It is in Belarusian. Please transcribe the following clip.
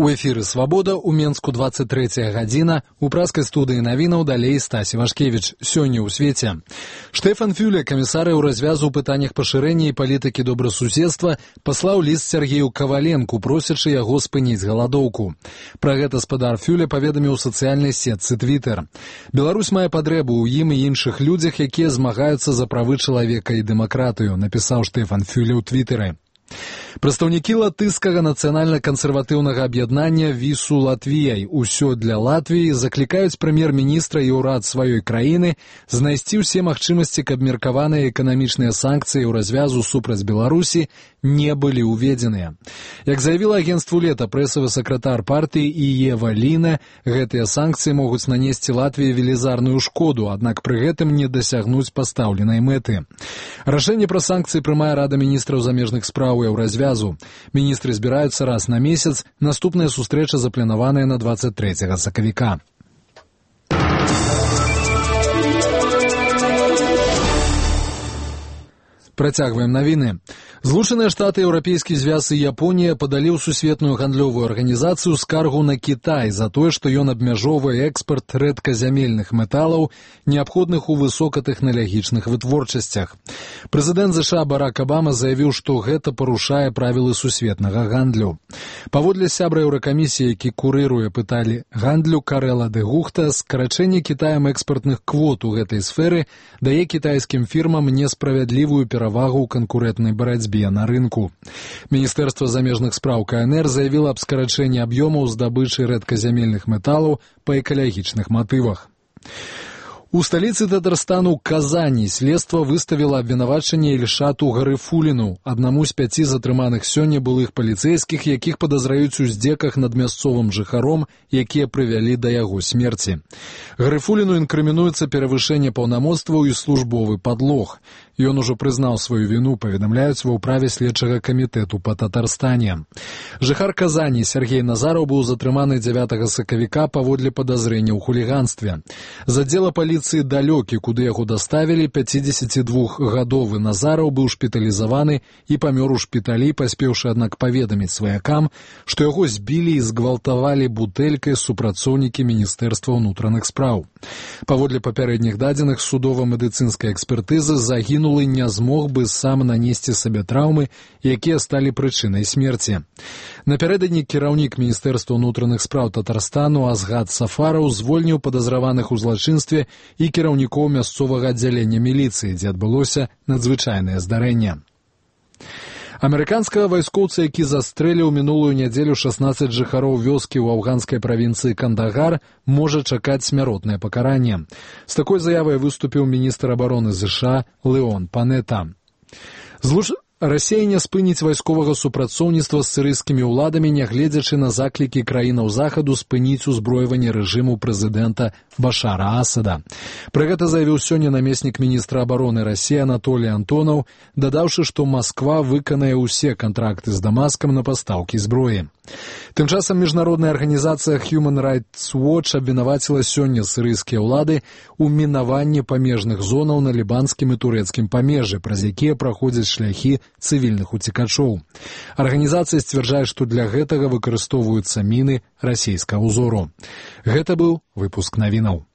У эфіры «Свабода» у Менску 23 гадзіна, у праскай студыі навінаў далей Стась Івашкевіч. Сёння ў свеце. Штефан Фюле, камісар у развязу ў пытаннях пашырэння і палітыкі добрасуседства, паслаў ліст Сергею Каваленку, просячы яго спыніць галадоўку. Пра гэта спадар Фюле паведаміў у сацыяльнай сетцы Твиттер. Беларусь мае патрэбу ў ім і іншых людзях, якія змагаюцца за правы чалавека і дэмакратыю, напісаў Штефан Фюле ў Твиттере. Прадстаўнікі латышскага нацыянальна-кансерватыўнага аб'яднання «Вісу Латвіяй» «Усё для Латвіі» заклікаюць прэм'ер-міністра і ўрад сваёй краіны знайсці ўсе магчымасці, каб меркаваныя эканамічныя санкцыі ў развязу супраць Беларусі не былі ўведзеныя. Як заявіла агенцтву «Лета» прэсавы сакратар партыі Іева Ліна, гэтыя санкцыі могуць нанесці Латвіі велізарную шкоду, аднак пры гэтым не дасягнуць пастаўленай мэты. Рашэнне пра санкцыі прымае Рада міністраў замежных спраў ў развязу. Міністры збіраюцца раз на месяц, наступная сустрэча запланаваная на 23 сакавіка. Працягваем навіны. Злучаныя Штаты, Еўрапейскі звяз і Японія падалі ў сусветную гандлёвую арганізацыю скаргу на Кітай за тое, што ён абмяжоўвае экспарт рэдказямельных металаў, неабходных у высокатэхналагічных вытворчасцях. Прэзідэнт США Барак Абама заявіў, што гэта парушае правілы сусветнага гандлю. Паводле сябра Еўракамісіі, які курыруе пыталі гандлю Карэла де Гухта, скарачэнне Кітаем экспартных квот у гэтай сферы дае кітайскім фірмам несправядлівую перавагу ў канкурэнтнай барацьбе на рынку. Міністэрства замежных спраў КНР заявіла аб скарачэнні аб'ёмаў здабычы рэдказямельных металаў па экалагічных матывах. У сталіцы Татарстану Казані следства выставіла абвінавачанне Ільшату Гарыфуліну, аднаму з 5 затрыманых сёння былых паліцэйскіх, якіх падазраюць у здзеках над мясцовым жыхаром, якія прывялі да яго смерці. Гарыфуліну інкрымінуецца перавышэнне паўнамоцтваў і службовы падлог. Ён ужо прызнаў сваю віну, паведамляюць ва ўправе следчага камітэту па Татарстане. Жыхар Казані Сергей Назараў быў затрыманы 9 сакавіка паводле падазрення ў хуліганстве. З аддзела паліцыі далёкі, куды яго даставілі, 52-гадовы Назараў быў шпіталізаваны і памёр у шпіталі, паспеўшы, аднак, паведаміць сваякам, што яго збілі і згвалтавалі бутэлькай супрацоўнікі Міністэрства ўнутраных спраў. Паводле папярэдніх дадзеных судова-медыцынскай экспертызы загінулы не змог бы сам нанесці сабе траўмы, якія сталі прычынай смерці. Напярэдадні кіраўнік Міністэрства ўнутраных спраў Татарстану Азгат Сафараў звольніў падазраваных у злачынстве і кіраўнікоў мясцовага аддзялення міліцыі, дзе адбылося надзвычайнае здарэнне. Амерыканскага вайскоўца, які застрэліў мінулую нядзелю 16 жыхароў вёскі ў афганскай правінцыі Кандагар, можа чакаць смяротнае пакаранне. З такой заявай выступіў міністр абароны США Леон Панета. Расія не спыніць вайсковага супрацоўніцтва з сірыйскімі ўладамі, нягледзячы на заклікі краінаў захаду спыніць узброіванне рэжыму прэзідэнта Башара Асада. Пра гэта заявіў сёння намеснік міністра абароны Расіі Анатолій Антонаў, дадаўшы, што Масква выканае ўсе кантракты з Дамаскам на пастаўкі зброі. Тым часам міжнародная арганізацыя Human Rights Watch абвінаваціла сёння сірыйскія ўлады ў мінаванні памежных зонаў на лібанскім і турэцкім памежжы, праз якія праходзяць шляхі цывільных уцекачоў. Арганізацыя сцвярджае, што для гэтага выкарыстоўваюцца міны расійскага ўзору. Гэта быў выпуск навінаў.